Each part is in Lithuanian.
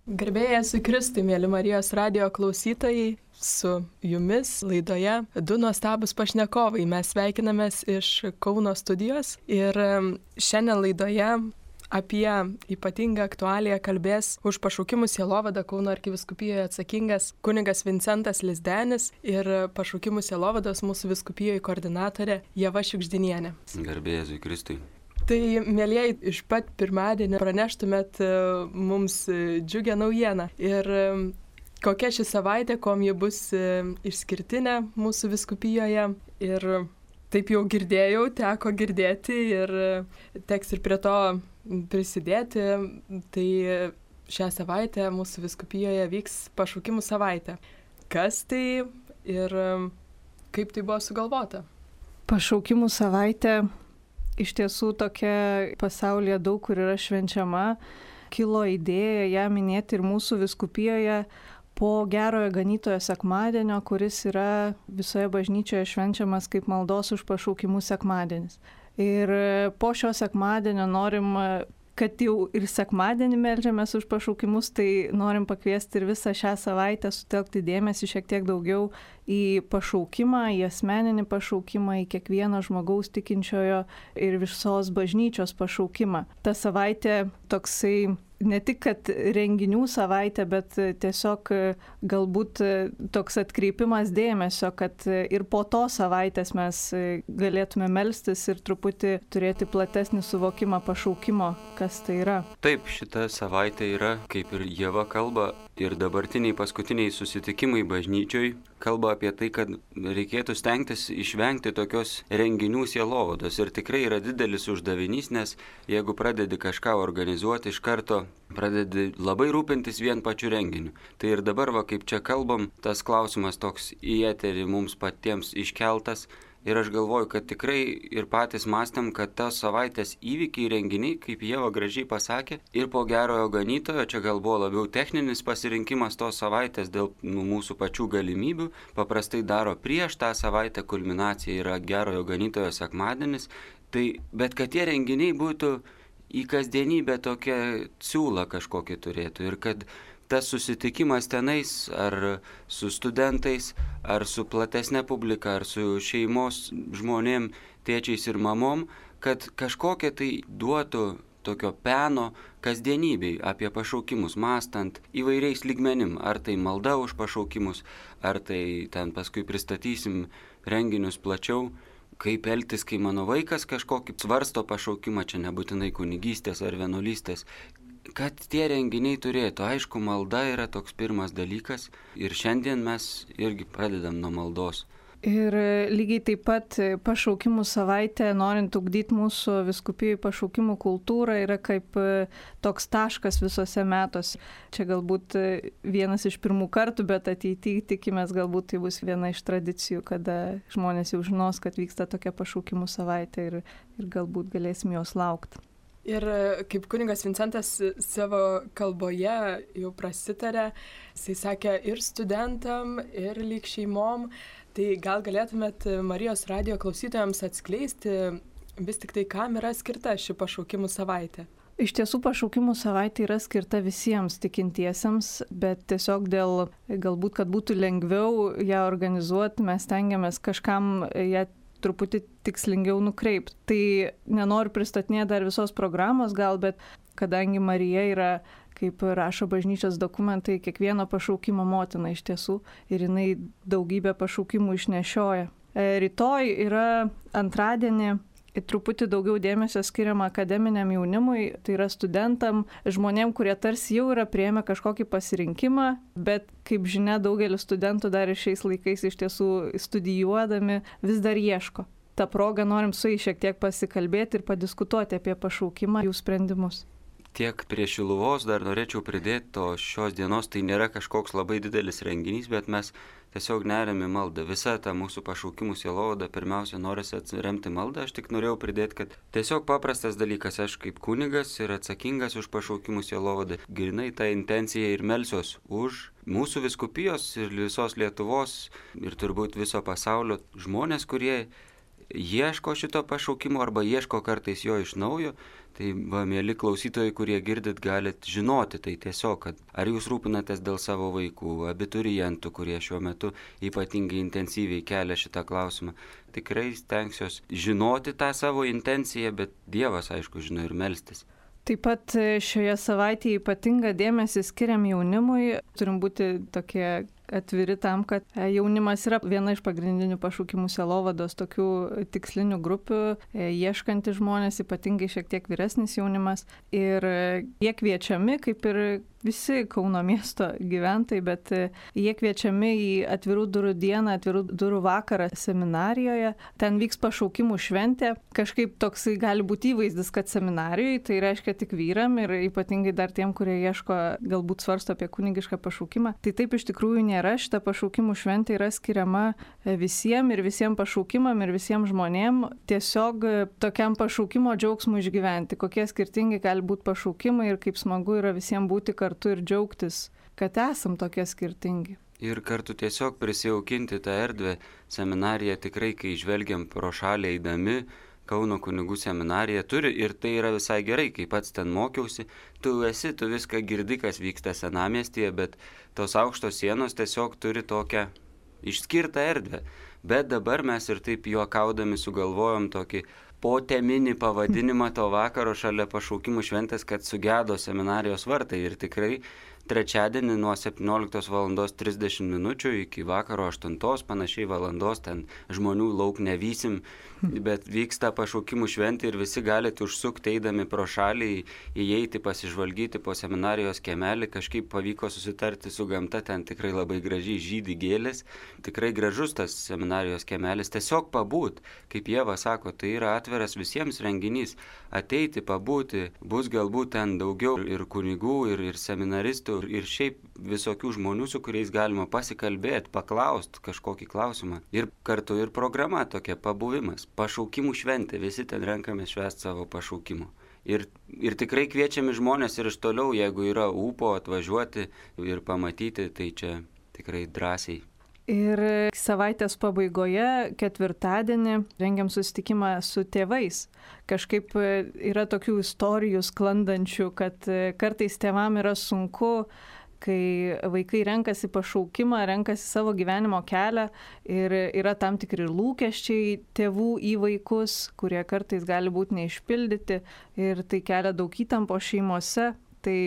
Garbėjai su Kristui, mėly Marijos radijo klausytojai, su jumis laidoje du nuostabus pašnekovai. Mes sveikinamės iš Kauno studijos ir šiandien laidoje apie ypatingą aktualiją kalbės už pašaukimų sielovadą Kauno arkivyskupijoje atsakingas kunigas Vincentas Lizdenis ir pašaukimų sielovados mūsų vyskupijoje koordinatorė Ieva Šiugždinienė. Garbėjai su Kristui. Tai, mėlyjei, iš pat pirmadienio praneštumėt mums džiugią naujieną. Ir kokia ši savaitė, kuom ji bus išskirtinė mūsų vyskupijoje. Ir taip jau girdėjau, teko girdėti ir teks ir prie to prisidėti. Tai šią savaitę mūsų vyskupijoje vyks pašaukimų savaitė. Kas tai ir kaip tai buvo sugalvota? Pašaukimų savaitė. Iš tiesų tokia pasaulyje daug kur yra švenčiama, kilo idėja ją minėti ir mūsų vyskupijoje po Gerojo Ganytojo sekmadienio, kuris yra visoje bažnyčioje švenčiamas kaip maldos už pašaukimų sekmadienis. Ir po šio sekmadienio norim, kad jau ir sekmadienį meldžiamės už pašaukimus, tai norim pakviesti ir visą šią savaitę sutelkti dėmesį šiek tiek daugiau į pašaukimą, į asmeninį pašaukimą, į kiekvieno žmogaus tikinčiojo ir visos bažnyčios pašaukimą. Ta savaitė toksai ne tik, kad renginių savaitė, bet tiesiog galbūt toks atkreipimas dėmesio, kad ir po to savaitės mes galėtume melstis ir truputį turėti platesnį suvokimą pašaukimo, kas tai yra. Taip, šita savaitė yra, kaip ir Ieva kalba, ir dabartiniai paskutiniai susitikimai bažnyčioj kalba apie tai, kad reikėtų stengtis išvengti tokios renginių sielovados. Ir tikrai yra didelis uždavinys, nes jeigu pradedi kažką organizuoti, iš karto pradedi labai rūpintis vien pačiu renginiu. Tai ir dabar, kaip čia kalbam, tas klausimas toks į eterį mums patiems iškeltas. Ir aš galvoju, kad tikrai ir patys mąstėm, kad tos savaitės įvykiai renginiai, kaip Ieva gražiai pasakė, ir po Gerojo Ganytojo, čia gal buvo labiau techninis pasirinkimas tos savaitės dėl mūsų pačių galimybių, paprastai daro prieš tą savaitę, kulminacija yra Gerojo Ganytojo sekmadienis, bet kad tie renginiai būtų į kasdienybę tokią siūlą kažkokį turėtų ir kad tas susitikimas tenais ar su studentais, ar su platesnė publika, ar su šeimos žmonėm, tėčiais ir mamom, kad kažkokia tai duotų tokio peno kasdienybei apie pašaukimus, mąstant įvairiais lygmenim, ar tai malda už pašaukimus, ar tai ten paskui pristatysim renginius plačiau, kaip elgtis, kai mano vaikas kažkokį svarsto pašaukimą, čia nebūtinai kunigystės ar vienuolystės, kad tie renginiai turėtų. Aišku, malda yra toks pirmas dalykas ir šiandien mes irgi pradedam nuo maldos. Ir lygiai taip pat pašaukimų savaitė, norint ugdyti mūsų vyskupijų pašaukimų kultūrą, yra kaip toks taškas visose metuose. Čia galbūt vienas iš pirmų kartų, bet ateityje tikimės galbūt tai bus viena iš tradicijų, kada žmonės jau žinos, kad vyksta tokia pašaukimų savaitė ir galbūt galėsim jos laukti. Ir kaip kunigas Vincentas savo kalboje jau prasitarė, jisai sakė ir studentam, ir lyg šeimom, tai gal galėtumėt Marijos radijo klausytojams atskleisti vis tik tai, kam yra skirta ši pašaukimų savaitė. Iš tiesų pašaukimų savaitė yra skirta visiems tikintiesiems, bet tiesiog dėl galbūt, kad būtų lengviau ją organizuoti, mes stengiamės kažkam ją truputį tikslingiau nukreipti. Tai nenoriu pristatinėti dar visos programos gal, bet kadangi Marija yra, kaip rašo bažnyčios dokumentai, kiekvieno pašaukimo motina iš tiesų ir jinai daugybę pašaukimų išnešioja. Rytoj yra antradienį truputį daugiau dėmesio skiriama akademiniam jaunimui, tai yra studentam, žmonėm, kurie tarsi jau yra priėmę kažkokį pasirinkimą, bet kaip žinia, daugelis studentų dar ir šiais laikais iš tiesų studijuodami vis dar ieško. Ta proga norim su jais šiek tiek pasikalbėti ir padiskutuoti apie pašaukimą, jų sprendimus. Tiek prie Šiluvos dar norėčiau pridėti, to šios dienos tai nėra kažkoks labai didelis renginys, bet mes tiesiog neriam į maldą. Visa ta mūsų pašaukimų sielovada pirmiausia norisi atsiremti maldą. Aš tik norėjau pridėti, kad tiesiog paprastas dalykas, aš kaip kunigas ir atsakingas už pašaukimų sielovadą, grinai tą intenciją ir melsiuos už mūsų vyskupijos ir visos Lietuvos ir turbūt viso pasaulio žmonės, kurie ieško šito pašaukimo arba ieško kartais jo iš naujo. Tai va, mėly klausytojai, kurie girdit, galit žinoti tai tiesiog, kad ar jūs rūpinatės dėl savo vaikų, abiturientų, kurie šiuo metu ypatingai intensyviai kelia šitą klausimą. Tikrai stengsiuos žinoti tą savo intenciją, bet Dievas, aišku, žino ir melstis. Taip pat šioje savaitėje ypatingą dėmesį skiriam jaunimui. Turim būti tokie atviri tam, kad jaunimas yra viena iš pagrindinių pašaukimų sielovados tokių tikslinių grupių, ieškantys žmonės, ypatingai šiek tiek vyresnis jaunimas. Ir jie kviečiami, kaip ir visi Kauno miesto gyventojai, bet jie kviečiami į atvirų durų dieną, atvirų durų vakarą seminarijoje. Ten vyks pašaukimų šventė. Kažkaip toksai gali būti įvaizdis, kad seminarijoje tai reiškia tik vyram ir ypatingai dar tiem, kurie ieško, galbūt svarsto apie kunigišką pašaukimą. Tai taip iš tikrųjų nėra. Šita pašaukimų šventė yra skiriama visiems ir visiems pašaukimam ir visiems žmonėm tiesiog tokiam pašaukimo džiaugsmui išgyventi. Kokie skirtingi gali būti pašaukimai ir kaip smagu yra visiems būti kartu ir džiaugtis, kad esam tokie skirtingi. Ir kartu tiesiog prisijaukinti tą erdvę. Seminarija tikrai, kai žvelgiam pro šalį eidami, Kauno kunigų seminarija turi ir tai yra visai gerai, kai pats ten mokiausi, tu viską girdi, kas vyksta senamiestyje, bet tos aukštos sienos tiesiog turi tokią išskirtą erdvę. Bet dabar mes ir taip juokaudami sugalvojom tokį poteminį pavadinimą to vakaro šalia pašaukimų šventės, kad sugedo seminarijos vartai ir tikrai trečiadienį nuo 17:30 minučių iki vakaro 8 panašiai valandos ten žmonių lauk nevysim, bet vyksta pašaukimų šventė ir visi galite užsukti eidami pro šalį, įeiti, pasižvalgyti po seminarijos kiemelį, kažkaip pavyko susitarti su gamta, ten tikrai labai gražiai žydi gėlės, tikrai gražus tas seminarijos kiemelis, tiesiog pabūt, kaip Ieva sako, tai yra atviras visiems renginys, ateiti, pabūti, bus galbūt ten daugiau ir kunigų, ir seminaristų, ir šiaip visokių žmonių, su kuriais galima pasikalbėti, paklausti kažkokį klausimą. Ir kartu ir programa tokia, pabuvimas, pašaukimų šventė, visi ten renkame švęsti savo pašaukimų. Ir tikrai kviečiami žmonės ir iš toliau, jeigu yra ūpo atvažiuoti ir pamatyti, tai čia tikrai drąsiai. Ir savaitės pabaigoje, ketvirtadienį, rengiam susitikimą su tėvais. Kažkaip yra tokių istorijų sklandančių, kad kartais tėvam yra sunku, kai vaikai renkasi pašaukimą, renkasi savo gyvenimo kelią ir yra tam tikri lūkesčiai tėvų į vaikus, kurie kartais gali būti neišpildyti ir tai kelia daug įtampo šeimose. Tai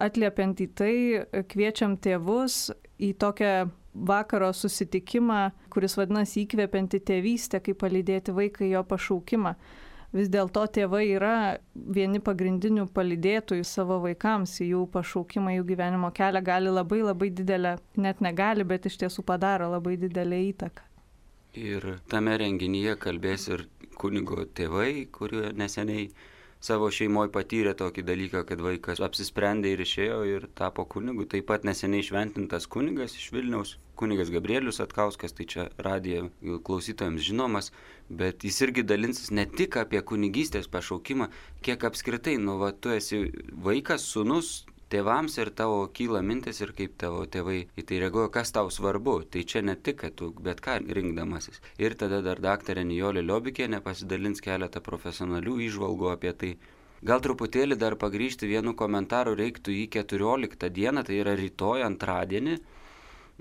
atliepiant į tai, kviečiam tėvus į tokią vakaro susitikimą, kuris vadinasi įkvepianti tėvystė, kaip palydėti vaiką į jo pašaukimą. Vis dėlto tėvai yra vieni pagrindinių palydėtojų savo vaikams į jų pašaukimą, jų gyvenimo kelią gali labai labai didelę, net negali, bet iš tiesų padaro labai didelę įtaką. Ir tame renginyje kalbės ir kunigo tėvai, kurie neseniai savo šeimoje patyrė tokį dalyką, kad vaikas apsisprendė ir išėjo ir tapo kunigu. Taip pat neseniai šventintas kunigas iš Vilniaus, kunigas Gabrielius Atkauskas, tai čia radijo klausytojams žinomas, bet jis irgi dalinsis ne tik apie kunigystės pašaukimą, kiek apskritai, tu esi vaikas, sūnus, tėvams ir tavo kyla mintis ir kaip tavo tėvai į tai reaguoja, kas tau svarbu. Tai čia ne tik, kad tu bet ką rinkdamasis. Ir tada dar daktarė Nijolė Liobikienė pasidalins keletą profesionalių įžvalgų apie tai. Gal truputėlį dar pagrįžti vienu komentaru reiktų į 14 dieną, tai yra rytoj antradienį,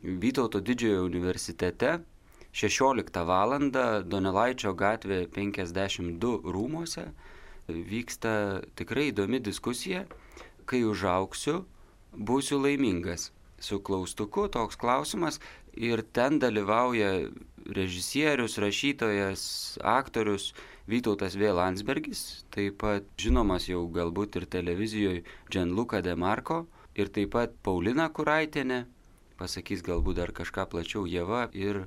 Vytauto Didžiojo universitete, 16 val. Donelaičio gatvė 52 rūmuose vyksta tikrai įdomi diskusija. Kai užaugsiu, būsiu laimingas. Su klaustuku toks klausimas ir ten dalyvauja režisierius, rašytojas, aktorius Vytautas V. Landsbergis, taip pat žinomas jau galbūt ir televizijoje Gianluca De Marco ir taip pat Paulina Kuraitienė, pasakys galbūt dar kažką plačiau Ieva ir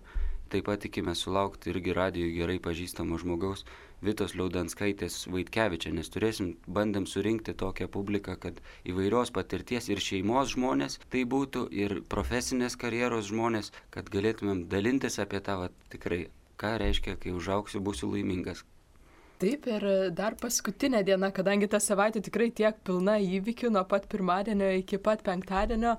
taip pat tikime sulaukti irgi radijui gerai pažįstamo žmogaus Vitos Liaudanskaitės Vaitkevičienės. Bandėm surinkti tokią publiką, kad įvairios patirties ir šeimos žmonės tai būtų, ir profesinės karjeros žmonės, kad galėtumėm dalintis apie tą tikrai, ką reiškia, kai užaugsiu, būsiu laimingas. Taip, ir dar paskutinė diena, kadangi ta savaitė tikrai tiek pilna įvykių nuo pat pirmadienio iki pat penktadienio,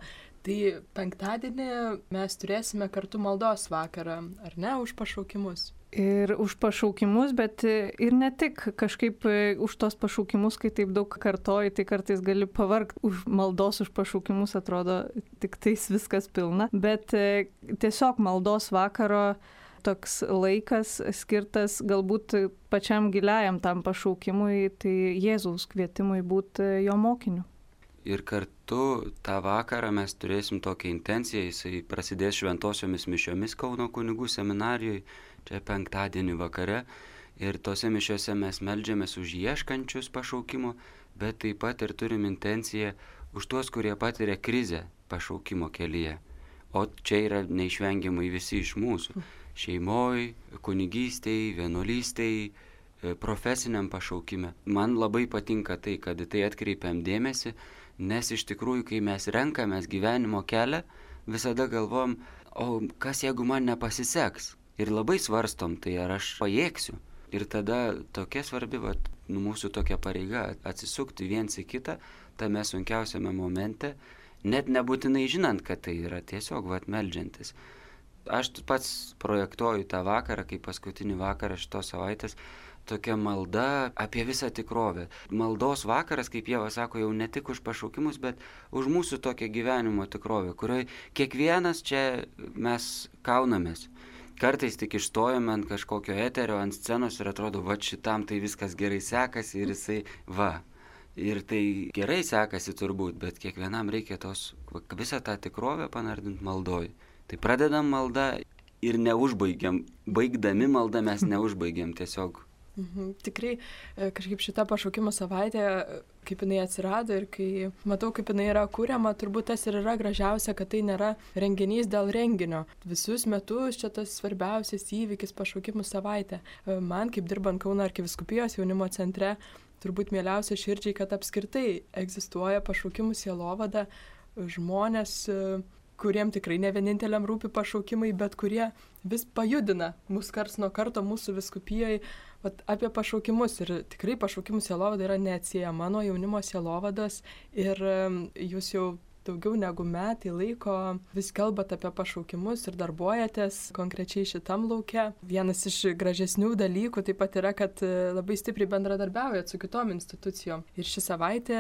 tai penktadienį mes turėsime kartu maldos vakarą, ar ne, už pašaukimus? Ir už pašaukimus, bet ir ne tik kažkaip už tos pašaukimus, kai taip daug kartoji, tai kartais gali pavargti už maldos už pašaukimus, atrodo tik tais viskas pilna, bet tiesiog maldos vakaro toks laikas skirtas galbūt pačiam giliajam tam pašaukimui, tai Jėzaus kvietimui būti jo mokiniu. Ir kartu tą vakarą mes turėsim tokią intenciją, jisai prasidės šventosiomis mišiomis Kauno kunigų seminarijoje, čia penktadienį vakare. Ir tose mišiose mes meldžiamės už ieškančius pašaukimo, bet taip pat ir turim intenciją už tuos, kurie patiria krizę pašaukimo kelyje. O čia yra neišvengiamai visi iš mūsų. Šeimoj, kunigystėj, vienuolystėj, profesiniam pašaukime. Man labai patinka tai, kad tai atkreipiam dėmesį, nes iš tikrųjų, kai mes renkamės gyvenimo kelią, visada galvom, o kas jeigu man nepasiseks? Ir labai svarstom, tai ar aš pajėgsiu. Ir tada tokia svarbi, mūsų tokia pareiga atsisukti viens į kitą, tame sunkiausiame momente, net nebūtinai žinant, kad tai yra tiesiog meldžiantis. Aš pats projektuoju tą vakarą, kaip paskutinį vakarą šitos savaitės, tokia malda apie visą tikrovę. Maldos vakaras, kaip Ieva sako, jau ne tik už pašaukimus, bet už mūsų tokią gyvenimo tikrovę, kurioje kiekvienas čia mes kaunamės. Kartais tik išstojame ant kažkokio eterio, ant scenos ir atrodo, šitam tai viskas gerai sekasi ir jisai Ir tai gerai sekasi turbūt, bet kiekvienam reikia visą tą tikrovę panardinti maldoj. Tai pradedam maldą ir neužbaigiam. Baigdami maldą mes neužbaigiam tiesiog. Tikrai kažkaip šita pašaukimo savaitė, kaip jinai atsirado ir kai matau, kaip jinai yra kuriama, turbūt tas ir yra gražiausia, kad tai nėra renginys dėl renginio. Visus metus čia tas svarbiausias įvykis pašaukimų savaitė. Man, kaip dirbant Kauno arkivyskupijos jaunimo centre, turbūt mieliausia širdžiai, kad apskritai egzistuoja pašaukimų sielovada, žmonės, kuriem tikrai ne vieninteliam rūpi pašaukimai, bet kurie vis pajudina mus karts nuo karto mūsų vyskupijoje apie pašaukimus. Ir tikrai pašaukimų sielovada yra neatsiejama nuo jaunimo sielovados ir jūs jau daugiau negu metai laiko vis kalbat apie pašaukimus ir darbuojatės konkrečiai šitam lauke. Vienas iš gražesnių dalykų taip pat yra, kad labai stipriai bendradarbiaujat su kitom institucijom. Ir ši savaitė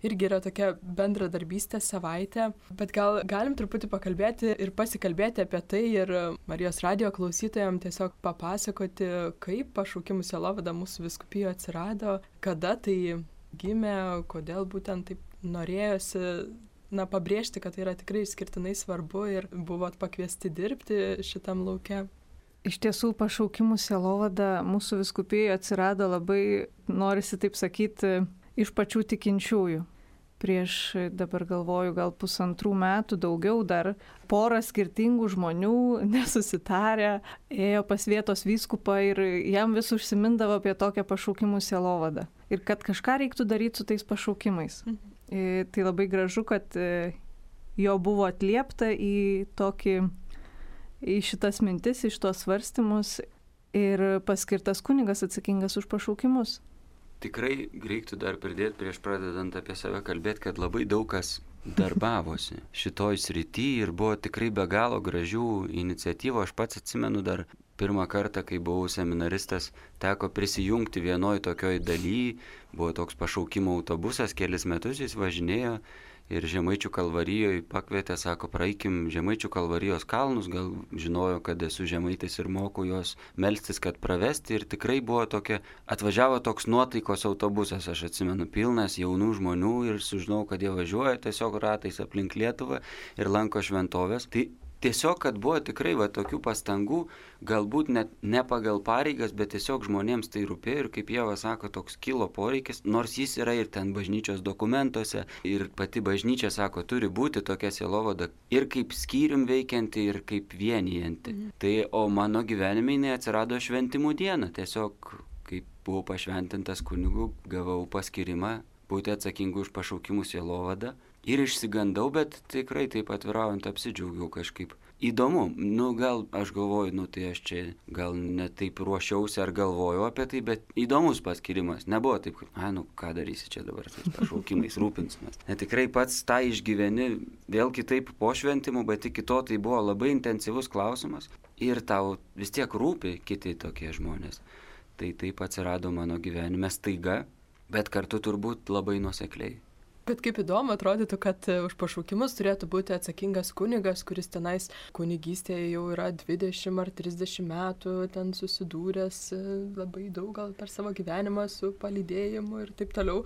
irgi yra tokia bendradarbystės savaitė. Bet gal galim truputį pakalbėti ir pasikalbėti apie tai ir Marijos radijo klausytojams tiesiog papasakoti, kaip pašaukimų sielovada mūsų vyskupijoje atsirado, kada tai gimė, kodėl būtent taip norėjosi pabrėžti, kad tai yra tikrai išskirtinai svarbu ir buvot pakviesti dirbti šitam lauke. Iš tiesų, pašaukimų sielovada mūsų vyskupijoje atsirado labai, norisi taip sakyti, iš pačių tikinčiųjų. Prieš, dabar galvoju, gal 1,5 metų, daugiau dar, pora skirtingų žmonių nesusitarę, ėjo pas vietos vyskupą ir jam vis užsimindavo apie tokią pašaukimų sielovadą. Ir kad kažką reiktų daryti su tais pašaukimais. Tai labai gražu, kad jo buvo atliepta į šitas mintis, į šitos svarstymus ir paskirtas kunigas atsakingas už pašaukimus. Tikrai reiktų dar pridėti prieš pradedant apie save kalbėti, kad labai daug kas darbavosi šitoj srity ir buvo tikrai be galo gražių iniciatyvų. Aš pats atsimenu dar pirmą kartą, kai buvau seminaristas, teko prisijungti vienoj tokioj daly, buvo toks pašaukimo autobusas, kelis metus jis važinėjo ir Žemaičių Kalvarijoje pakvietė, sako, praeikim Žemaičių Kalvarijos kalnus, gal žinojo, kad esu žemaitis ir moku jos melstis, kad pravesti ir tikrai buvo tokia, atvažiavo toks nuotaikos autobusas, aš atsimenu, pilnas jaunų žmonių ir sužinau, kad jie važiuoja tiesiog ratais aplink Lietuvą ir lanko šventovės. Tai tiesiog, kad buvo tikrai tokių pastangų, galbūt net ne pagal pareigas, bet tiesiog žmonėms tai rūpėjo ir kaip Ieva sako, toks kilo poreikis, nors jis yra ir ten bažnyčios dokumentuose ir pati bažnyčia sako, turi būti tokia sielovada ir kaip skyrium veikianti ir kaip vienijanti. Tai, o mano gyvenime jinai atsirado šventimų dieną, tiesiog kaip buvau pašventintas kunigu, gavau paskyrimą būti atsakingu už pašaukimų sielovadą. Ir išsigandau, bet tikrai taip atviraujant apsidžiaugiau kažkaip. Įdomu, gal aš galvoju, tai aš čia gal ne taip ruošiausi ar galvojau apie tai, bet įdomus paskyrimas. Nebuvo taip, ką darysi čia dabar, tais pašaukimais rūpinsimės. Tikrai pats tą išgyveni vėl kitaip po šventimų, bet iki to tai buvo labai intensyvus klausimas. ir tau vis tiek rūpi kiti tokie žmonės. Tai taip atsirado mano gyvenime staiga, bet kartu turbūt labai nuosekliai. Bet kaip įdomu atrodytų, kad už pašaukimus turėtų būti atsakingas kunigas, kuris tenais kunigystėje jau yra 20 ar 30 metų, ten susidūręs labai daug gal per savo gyvenimą su palydėjimu ir taip toliau.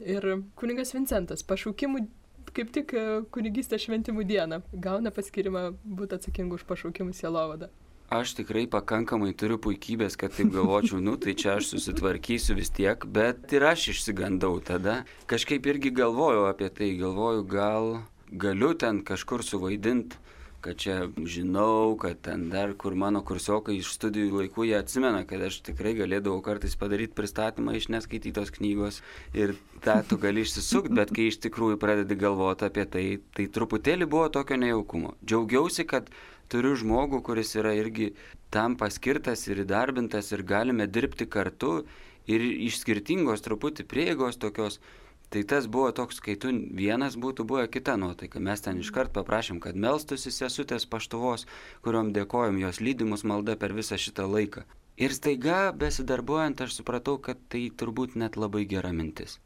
Ir kunigas Vincentas pašaukimų kaip tik kunigystės šventimų dieną gauna paskyrimą būti atsakingu už pašaukimų sielovadą. Aš tikrai pakankamai turiu puikybės, kad taip galvočiau, tai čia aš susitvarkysiu vis tiek, bet ir aš išsigandau tada. Kažkaip irgi galvojau apie tai, gal galiu ten kažkur suvaidinti, kad čia žinau, kad ten dar kur mano kursiokai iš studijų laikų jie atsimena, kad aš tikrai galėdavau kartais padaryti pristatymą iš neskaitytos knygos ir tą tu gali išsisukti, bet kai iš tikrųjų pradedi galvoti apie tai, tai truputėlį buvo tokio nejaukumo. Džiaugiausi, kad turiu žmogų, kuris yra irgi tam paskirtas ir įdarbintas ir galime dirbti kartu ir iš skirtingos truputį prieigos tokios. Tai tas buvo toks, kai tu vienas būtų buvę kita nuotaika. Mes ten iškart paprašėm, kad melstųsi sesutės Paštuvos, kuriuom dėkojom jos lydimus malda per visą šitą laiką. Ir staiga, besidarbuojant, aš supratau, kad tai turbūt net labai gera mintis.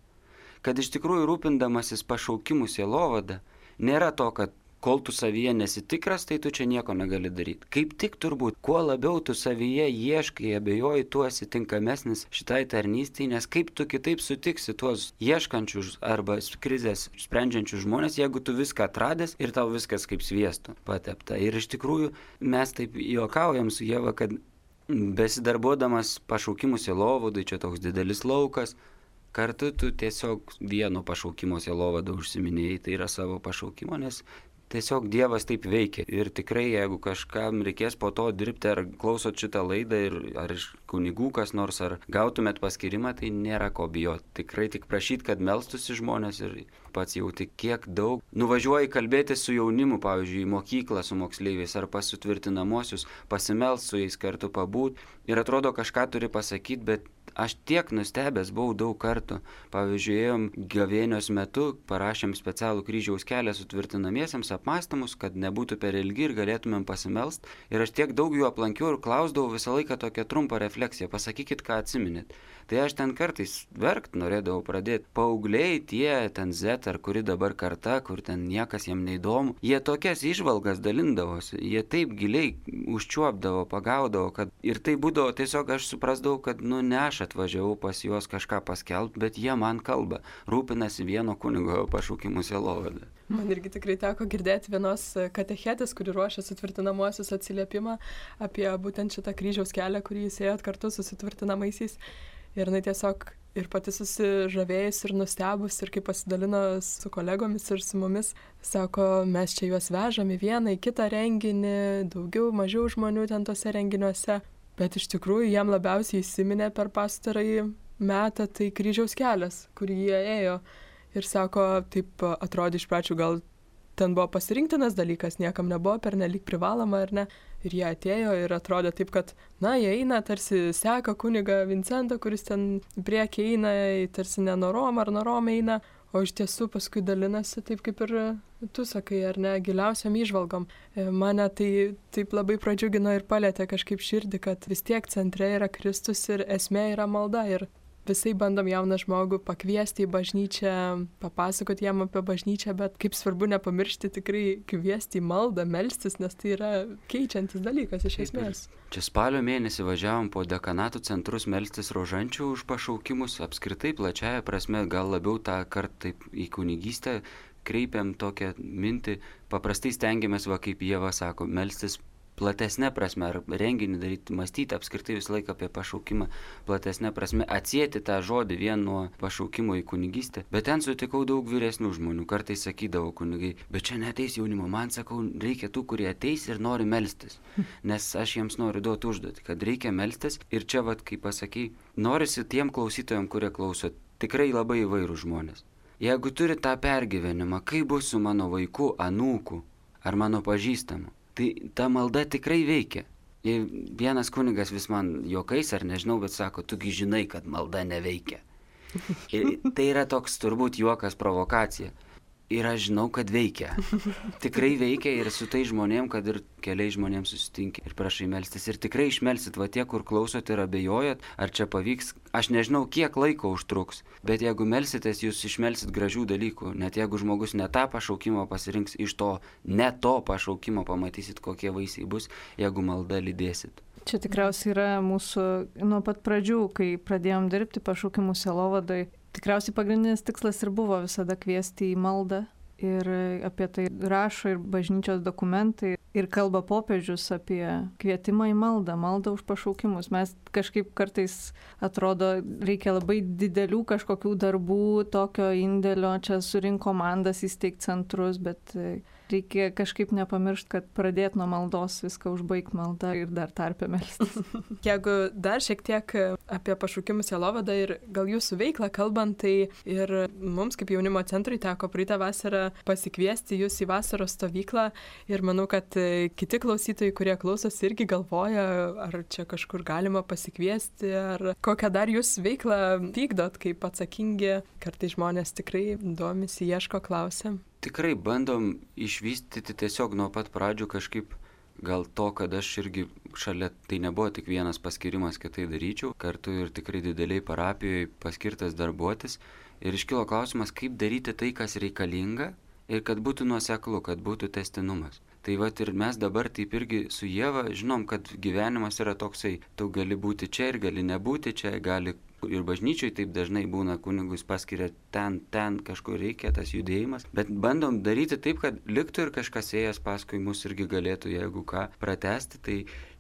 Kad iš tikrųjų rūpindamasis pašaukimų sielovada, nėra to, kad kol tu savyje nesitikras, tai tu čia nieko negali daryti. Kaip tik turbūt, kuo labiau tu savyje ieškai, abejoji, tu esi tinkamesnis šitai tarnystei, nes kaip tu kitaip sutiksi tuos ieškančius arba krizės sprendžiančius žmonės, jeigu tu viską atradęs ir tau viskas kaip sviestu patepta. Ir iš tikrųjų mes taip juokaujam su Ieva, kad besidarbuodamas pašaukimų sielovadai, čia toks didelis laukas, kartu tu tiesiog vieno pašaukimo sielovado užsiminėjai, tai yra savo pašaukimo, nes tiesiog Dievas taip veikia. Ir tikrai, jeigu kažkam reikės po to dirbti, ar klausot šitą laidą, ar iš kunigų kas nors, ar gautumėt paskyrimą, tai nėra ko bijoti. Tikrai tik prašyti, kad melstųsi žmonės ir pats jauti, kiek daug. Nuvažiuoji kalbėti su jaunimu, pavyzdžiui, į mokyklą su moksleiviais, ar pas sutvirtinamosius, pasimelst su jais kartu pabūt. Ir atrodo, kažką turi pasakyti, bet aš tiek nustebęs buvau daug kartų. Pavyzdžiui, ėjom gavėnios metu, parašėm specialų kryžiaus kelią sutvirtinamiesiems apmąstymus, kad nebūtų per ilgi ir galėtumėm pasimelst. Ir aš tiek daug jų aplankiau ir klausdavau visą laiką tokią trumpą refleksiją. Pasakykit, ką atsiminėt. Tai aš ten kartais verkt norėdavau pradėti. Paaugliai tie, ten Z ar kuri dabar karta, kur ten niekas jiem neįdomu, jie tokias įžvalgas dalindavosi. Jie taip giliai užčiuopdavo, pagaudavo, kad ir tai būdavo tiesiog aš suprasdavau, kad ne aš atvažiavau pas juos kažką paskelbti, bet jie man kalba, rūpinasi vieno kunigo pašaukimų sielovada. Man irgi tikrai teko girdėti vienos katechetės, kuri ruošia sutvirtinamuosius atsiliepimą apie būtent šitą kryžiaus kelią, kurį jūs ėjot kartu su sutvirtinamaisiais. Ir jinai tiesiog ir pati susižavėjus ir nustebus ir kaip pasidalino su kolegomis ir su mumis, sako, mes čia juos vežam į vieną, į kitą renginį, daugiau, mažiau žmonių ten tose renginiuose. Bet iš tikrųjų jam labiausiai įsiminė per pastarąjį metą tai kryžiaus kelias, kurį jie ėjo. Ir sako, taip atrodė iš pradžių, gal ten buvo pasirinktinas dalykas, niekam nebuvo pernelyg privaloma ar ne. Ir jie atėjo ir atrodė taip, kad, jie eina, tarsi seka kunigą Vincentą, kuris ten priekį eina, tarsi nenorom ar norom eina. O iš tiesų paskui dalinasi taip, kaip ir tu sakai, ar ne, giliausiam įžvalgom. Mane tai taip labai pradžiugino ir palėtė kažkaip širdį, kad vis tiek centre yra Kristus ir esmė yra malda. Ir visai bandom jauną žmogų pakviesti į bažnyčią, papasakoti jam apie bažnyčią, bet kaip svarbu nepamiršti tikrai kviesti į maldą, melstis, nes tai yra keičiantis dalykas iš esmės. Čia spalio mėnesį važiavom po dekanatų centrus melstis rožančių už pašaukimus, apskritai plačiaja prasme, gal labiau tą kartą taip į kunigystę kreipiam tokią mintį, paprastai stengiamės, kaip Ieva sako, melstis platesnė prasme, ar renginį daryti, mąstyti apskritai visą laiką apie pašaukimą, platesnė prasme, atsieti tą žodį vien nuo pašaukimo į kunigystę. Bet ten sutikau daug vyresnių žmonių, kartais sakydavo kunigai, bet čia neateis jaunimo, man sakau, reikia tų, kurie ateis ir nori melstis, nes aš jiems noriu duoti užduotį, kad reikia melstis ir čia, kaip pasakei, norisi tiem klausytojams, kurie klauso, tikrai labai įvairūs žmonės. Jeigu turi tą pergyvenimą, kaip bus su mano vaiku, anūku ar mano pažįstamu, tai ta malda tikrai veikia. Ir vienas kunigas vis man juokais ar nežinau, bet sako, tugi žinai, kad malda neveikia. Ir tai yra toks turbūt juokas, provokacija. ir aš žinau, kad veikia. Tikrai veikia ir su tai žmonėm, kad ir keliais žmonėms susitinki ir prašai melstis. Ir tikrai išmelsit, va tie, kur klausot ir abejojat, ar čia pavyks. Aš nežinau, kiek laiko užtruks, bet jeigu melsitės, jūs išmelsit gražių dalykų. Net jeigu žmogus ne tą pašaukimą pasirinks, iš to ne to pašaukimo pamatysit, kokie vaisiai bus, jeigu malda lydėsit. Čia tikriausiai yra mūsų nuo pat pradžių, kai pradėjom dirbti pašaukimų sielovadai. Tikriausiai pagrindinis tikslas ir buvo visada kviesti į maldą. Ir apie tai rašo ir bažnyčios dokumentai. Ir kalba popiežius apie kvietimą į maldą, maldą už pašaukimus. Mes kažkaip kartais atrodo, reikia labai didelių kažkokių darbų, tokio indėlio, čia surink komandas, įsteigti centrus, bet reikia kažkaip nepamiršti, kad pradėti nuo maldos, viską užbaigti maldą ir dar tarpę melstis. Jeigu dar šiek tiek apie pašaukimų sielovadą ir gal jūsų veiklą kalbant, tai ir mums kaip jaunimo centrui teko praeitą vasarą pasikviesti jūs į vasaros stovyklą ir manau, kad kiti klausytojai, kurie klausosi, irgi galvoja, ar čia kažkur galima pasikviesti, ar kokią dar jūs veiklą vykdot, kaip atsakingi, kartais žmonės tikrai domisi, ieško, klausia. Tikrai bandom išvystyti tiesiog nuo pat pradžių kažkaip gal to, kad aš irgi šalia, tai nebuvo tik vienas paskirimas, kad tai daryčiau, kartu ir tikrai dideliai parapijoje paskirtas darbuotis ir iškilo klausimas, kaip daryti tai, kas reikalinga ir kad būtų nuoseklu, kad būtų tęstinumas. Tai vat ir mes dabar taip irgi su Ieva žinom, kad gyvenimas yra toksai, tu gali būti čia ir gali nebūti čia, gali ir bažnyčioj taip dažnai būna, kunigus paskiria ten kažkur reikia tas judėjimas, bet bandom daryti taip, kad liktų ir kažkas ėjęs paskui mus irgi galėtų, jeigu ką, pratęsti, tai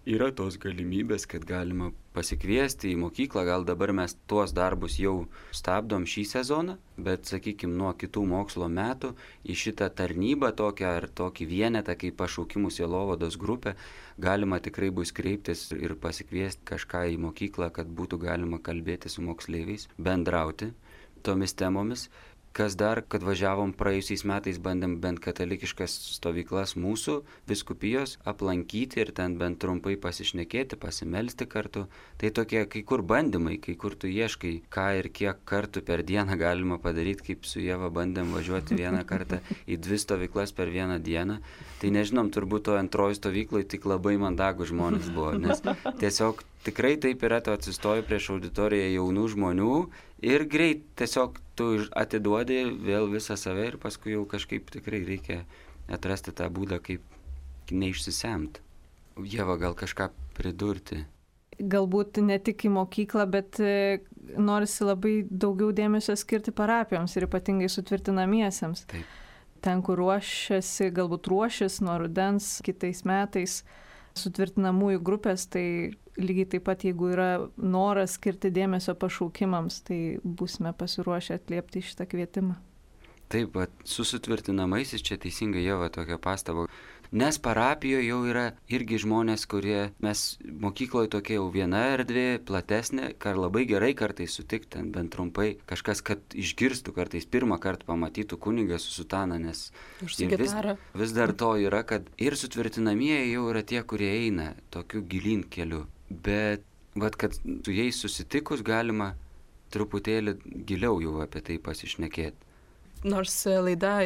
yra tos galimybės, kad galima pasikviesti į mokyklą, gal dabar mes tuos darbus jau stabdom šį sezoną, bet, sakykime, nuo kitų mokslo metų į šitą tarnybą tokią ar tokį vienetą kaip pašaukimų sielovados grupę galima tikrai bus kreiptis ir pasikviesti kažką į mokyklą, kad būtų galima kalbėti su moksleiviais, bendrauti tomis temomis. Kas dar, kad važiavom praėjusiais metais, bandėm bent katalikiškas stovyklas mūsų vyskupijos aplankyti ir ten bent trumpai pasišnekėti, pasimelsti kartu. Tai tokie kai kur bandymai, kai kur tu ieškai, ką ir kiek kartų per dieną galima padaryti, kaip su Ieva bandėm važiuoti vieną kartą į 2 stovyklas per vieną dieną. Tai nežinom, turbūt to antroji stovykloje tik labai mandagų žmonės buvo, nes tiesiog tikrai taip yra, tu atsistoji prieš auditoriją jaunų žmonių ir greit tiesiog tu atiduodi vėl visą save ir paskui jau kažkaip tikrai reikia atrasti tą būdą, kaip neišsisemt. Ieva, gal kažką pridurti? Galbūt ne tik į mokyklą, bet norisi labai daugiau dėmesio skirti parapijoms ir ypatingai sutvirtinamiesiems. Taip. Ten, kur galbūt ruošis nuo rudens kitais metais sutvirtinamųjų grupės, tai lygiai taip pat, jeigu yra noras skirti dėmesio pašaukimams, tai būsime pasiruošę atliepti šitą kvietimą. Taip, su sutvirtinamaisiais čia teisingai Ieva tokia pastaba. Nes parapijoje jau yra irgi žmonės, kurie mes mokykloje tokia jau viena erdvė, platesnė, ką labai gerai kartais sutikti, bent trumpai, kažkas, kad išgirstų kartais pirmą kartą pamatytų kunigą su sutana, nes vis dar to yra, kad ir sutvirtinamieji jau yra tie, kurie eina tokiu gilyn keliu. Bet, kad su jais susitikus galima truputėlį giliau jau apie tai pasišnekėti. Nors laida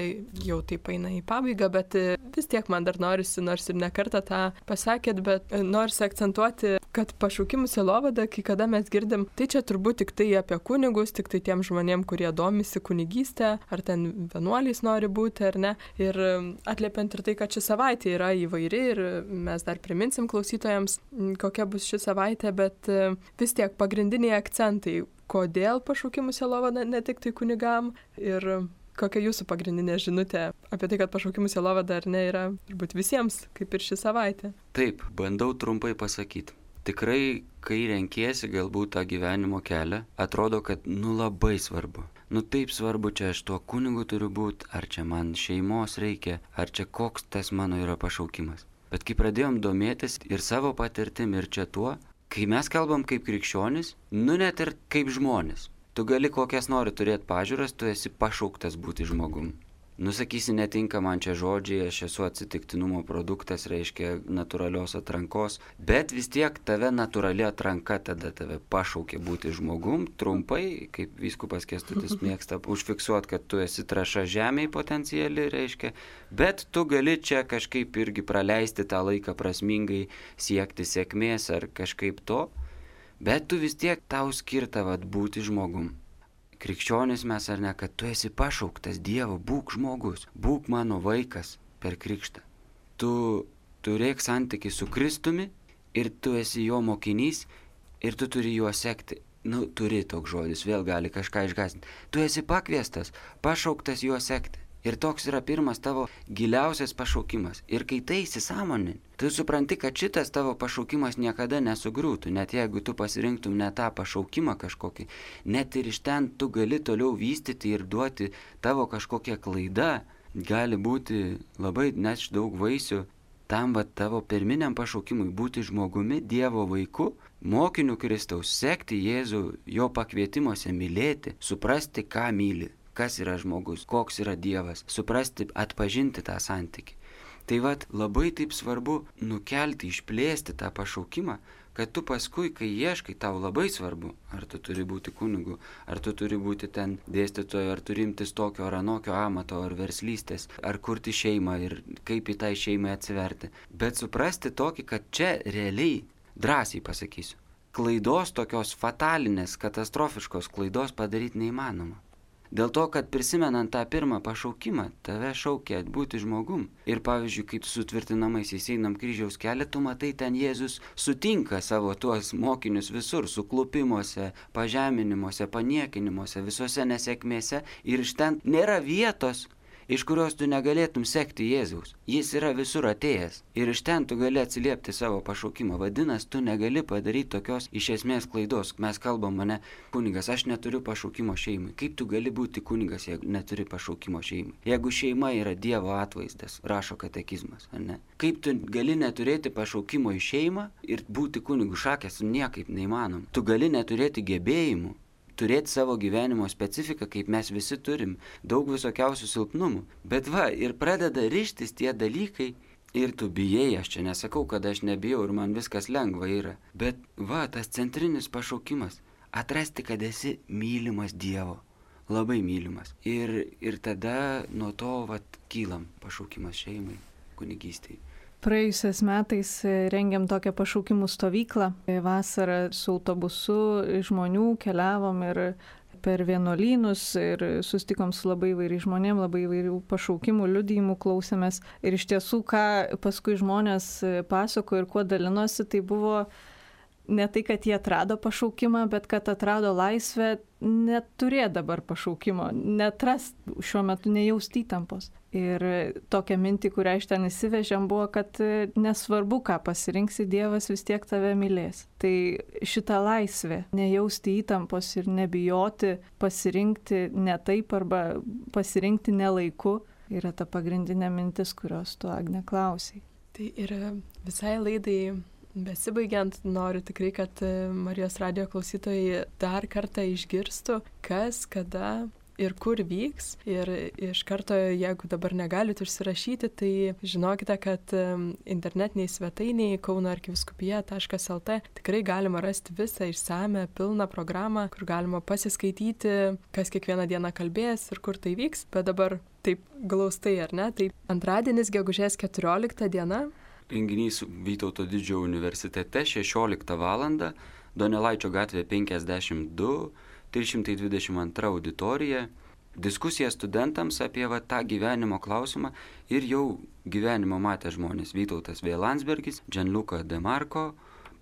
jau taip eina į pabaigą, bet vis tiek man dar norisi, nors ir ne kartą tą pasakėt, bet norisi akcentuoti, kad pašaukimų sielovada, kai kada mes girdim, tai čia turbūt tik tai apie kunigus, tik tai tiem žmonėm, kurie domisi kunigystę, ar ten vienuoliais nori būti, ar ne. Ir atliepiant ir tai, kad ši savaitė yra įvairi ir mes dar priminsim klausytojams, kokia bus ši savaitė, bet vis tiek pagrindiniai akcentai, kodėl pašaukimų sielovada ne tik tai kunigam ir kokia jūsų pagrindinė žinutė apie tai, kad pašaukimų sielovada ar ne yra turbūt visiems, kaip ir ši savaitė? Taip, bandau trumpai pasakyti. Tikrai, kai renkiesi galbūt tą gyvenimo kelią, atrodo, kad labai svarbu. Taip svarbu, čia aš tuo kunigu turiu būti, ar čia man šeimos reikia, ar čia koks tas mano yra pašaukimas. Bet kai pradėjom domėtis ir savo patirtim ir čia tuo, kai mes kalbam kaip krikščionis, net ir kaip žmonės. Tu gali kokias nori turėti pažiūras, tu esi pašauktas būti žmogum. Nusakysi, netinka man čia žodžiai, aš esu atsitiktinumo produktas, reiškia natūralios atrankos, bet vis tiek tave natūrali atranka tada tave pašaukė būti žmogum, trumpai, kaip vyskupas Kęstutis mėgsta užfiksuoti, kad tu esi trąša žemėje potenciali, reiškia, bet tu gali čia kažkaip irgi praleisti tą laiką prasmingai, siekti sėkmės ar kažkaip to, bet tu vis tiek tau skirta būti žmogum. Krikščionis mes ar ne, kad tu esi pašauktas Dievo, būk žmogus, būk mano vaikas per krikštą. Tu turėk santykį su Kristumi ir tu esi jo mokinys ir tu turi juo sekti. Turi toks žodis, vėl gali kažką išgąsdinti. Tu esi pakviestas, pašauktas juo sekti. Ir toks yra pirmas tavo giliausias pašaukimas. Ir kai tai įsisąmonini, tu supranti, kad šitas tavo pašaukimas niekada nesugriūtų. Net jeigu tu pasirinktum ne tą pašaukimą kažkokį, net ir iš ten tu gali toliau vystyti ir duoti tavo kažkokią klaidą. Gali būti labai neš daug vaisių tam tavo pirminiam pašaukimui būti žmogumi, Dievo vaiku, mokiniu Kristaus, sekti Jėzų, jo pakvietimuose mylėti, suprasti, ką myli. Kas yra žmogus, koks yra Dievas, suprasti, atpažinti tą santykį. Tai labai taip svarbu nukelti, išplėsti tą pašaukimą, kad tu paskui, kai ieškai, tau labai svarbu, ar tu turi būti kunigu, ar tu turi būti ten dėstytoju, ar turi imtis tokio ar anokio amato, ar verslystės, ar kurti šeimą ir kaip į tą šeimą atsiverti. Bet suprasti tokį, kad čia realiai, drąsiai pasakysiu, klaidos tokios fatalinės, katastrofiškos klaidos padaryti neįmanoma. Dėl to, kad prisimenant tą pirmą pašaukimą, tave šaukia būti žmogum. Ir pavyzdžiui, kai tu su tvirtinamaisiais einam kryžiaus kelią, tu matai, ten Jėzus sutinka savo tuos mokinius visur, suklupimuose, pažeminimuose, paniekinimuose, visose nesėkmėse. Ir iš ten nėra vietos, iš kurios tu negalėtum sekti Jėzaus. Jis yra visur atėjęs. Ir iš ten tu gali atsiliepti savo pašaukimą. Vadinasi, tu negali padaryti tokios iš esmės klaidos. Mes kalbam, mane kunigas, aš neturiu pašaukimo šeimai. Kaip tu gali būti kunigas, jeigu neturi pašaukimo šeimai? Jeigu šeima yra Dievo atvaizdas, rašo katekizmas, ar ne? Kaip tu gali neturėti pašaukimo į šeimą ir būti kunigu? Šakės niekaip neįmanom. Tu gali neturėti gebėjimų, turėti savo gyvenimo specifiką, kaip mes visi turim, daug visokiausių silpnumų. Bet ir pradeda rištis tie dalykai ir tu bijai, aš čia nesakau, kad aš nebijau ir man viskas lengva yra. Bet tas centrinis pašaukimas, atrasti, kad esi mylimas Dievo, labai mylimas. Ir tada nuo to kylam pašaukimas šeimai, kunigystei. Praėjusiais metais rengėm tokią pašaukimų stovyklą. Vasarą su autobusu žmonių keliavom ir per vienuolynus ir susitikom su labai įvairiais žmonėm, labai įvairių pašaukimų, liudijimų klausėmės. Ir iš tiesų, ką paskui žmonės pasako ir kuo dalinosi, tai buvo ne tai, kad jie atrado pašaukimą, bet kad atrado laisvę neturėti dabar pašaukimo, netrast šiuo metu nejausti įtampos. Ir tokia mintį, kurią iš ten įsivežėm, buvo, kad nesvarbu, ką pasirinksi, Dievas vis tiek tave mylės. Tai šita laisvė, nejausti įtampos ir nebijoti pasirinkti ne taip arba pasirinkti ne laiku, yra ta pagrindinė mintis, kurios tu, Agne, klausai. Tai ir visai laidai besibaigiant, noriu tikrai, kad Marijos radijo klausytojai dar kartą išgirstų, kas, kada ir kur vyks. Ir iš karto, jeigu dabar negalit užsirašyti, tai žinokite, kad internetiniai svetainiai kaunoarkivyskupija.lt tikrai galima rasti visą išsame, pilną programą, kur galima pasiskaityti, kas kiekvieną dieną kalbės ir kur tai vyks. Bet dabar taip glaustai, ar ne? Tai antradienis, gegužės 14 diena. Renginys Vytauto didžiojo universitete 16 val. Donelaičio gatvė 52, 322 auditorija. Diskusija studentams apie tą gyvenimo klausimą ir jau gyvenimo matę žmonės. Vytautas V. Landsbergis, Gianluca De Marco,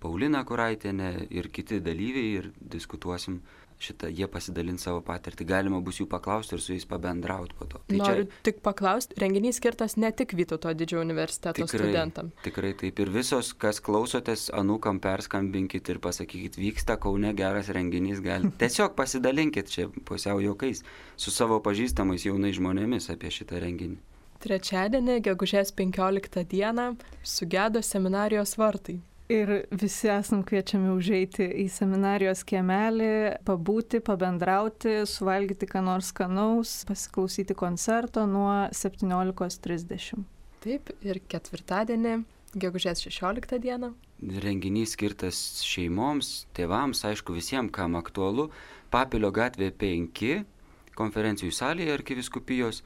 Paulina Kuraitienė ir kiti dalyviai ir diskutuosim šitą, jie pasidalins savo patirtį. Galima bus jų paklausti ir su jais pabendrauti po to. Tai noriu tik paklausti, renginys skirtas ne tik Vytauto didžiojo universiteto studentam. Tikrai taip. Ir visos, kas klausotės, anūkam perskambinkit ir pasakykit, vyksta Kaune geras renginys, tiesiog pasidalinkit čia pusiau juokais su savo pažįstamais jaunais žmonėmis apie šitą renginį. Trečiadienį, gegužės 15 dieną, sugedo seminarijos vartai. Ir visi esam kviečiami užeiti į seminarijos kiemelį, pabūti, pabendrauti, suvalgyti ką nors skanaus, pasiklausyti koncerto nuo 17:30. Taip, ir ketvirtadienį, gegužės 16 dieną. Renginys skirtas šeimoms, tėvams, aišku visiems, kam aktualu. Papilio gatvė 5, konferencijų salėje arkivyskupijos,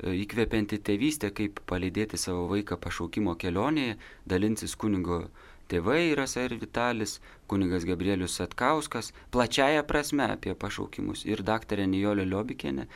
įkvepianti tėvystė, kaip palydėti savo vaiką pašaukimo kelionėje, dalinsis kunigo tėvai Rasa ir Vitalis, kunigas Gabrielius Satkauskas, plačiaja prasme apie pašaukimus, ir daktarė Nijolė Liobikienė.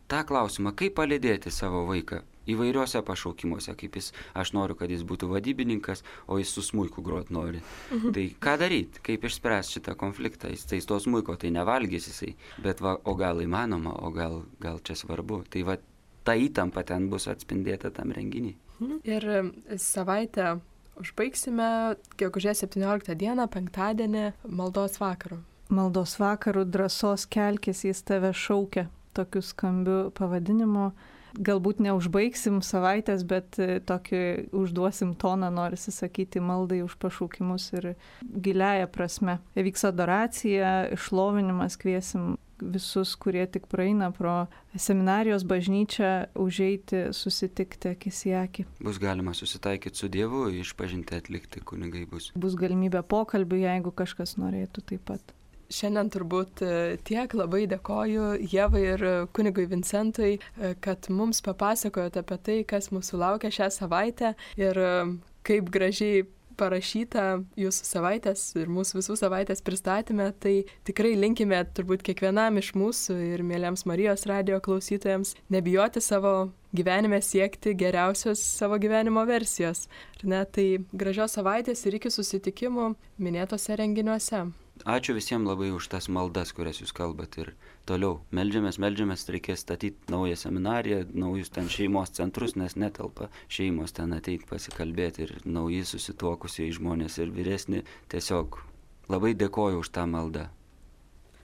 Ta klausimą, kaip palydėti savo vaiką įvairiuose pašaukimuose, kaip aš noriu, kad jis būtų vadybininkas, o jis su smuiku grot nori. Tai ką daryti, kaip išspręsti šitą konfliktą, jis to smuiko tai nevalgys jisai, bet o gal įmanoma, o gal čia svarbu. Tai ta įtampa ten bus atspindėta tam renginį. Ir savaitę užbaigsime gegužės 17 dieną, penktadienį, maldos vakaru. Maldos vakaru drąsos kelkis, jis tave šaukia, tokiu skambiu pavadinimu. Galbūt neužbaigsim savaitės, bet tokį užduosim toną, norisi sakyti, maldai už pašaukimus ir giliaja prasme. Vyks adoracija, išlovinimas, kviesim visus, kurie tik praeina pro seminarijos bažnyčią, užeiti, susitikti akis į akį. Bus galima susitaikyti su Dievu, išpažinti atlikti, kunigai bus. Bus galimybė pokalbių, jeigu kažkas norėtų taip pat. Šiandien turbūt tiek, labai dėkoju Ievai ir kunigui Vincentui, kad mums papasakojot apie tai, kas mūsų laukia šią savaitę ir kaip gražiai parašyta jūsų savaitės ir mūsų visų savaitės pristatyme. Tai tikrai linkime turbūt kiekvienam iš mūsų ir mėlyms Marijos radijo klausytojams nebijoti savo gyvenime siekti geriausios savo gyvenimo versijos. Tai gražios savaitės ir iki susitikimų minėtose renginiuose. Ačiū visiems labai už tas maldas, kurias jūs kalbat, ir toliau meldžiamės, reikės statyti naują seminariją, naujus ten šeimos centrus, nes netelpa šeimos ten ateiti pasikalbėti, ir nauji susituokusiai žmonės ir vyresni. Tiesiog labai dėkoju už tą maldą.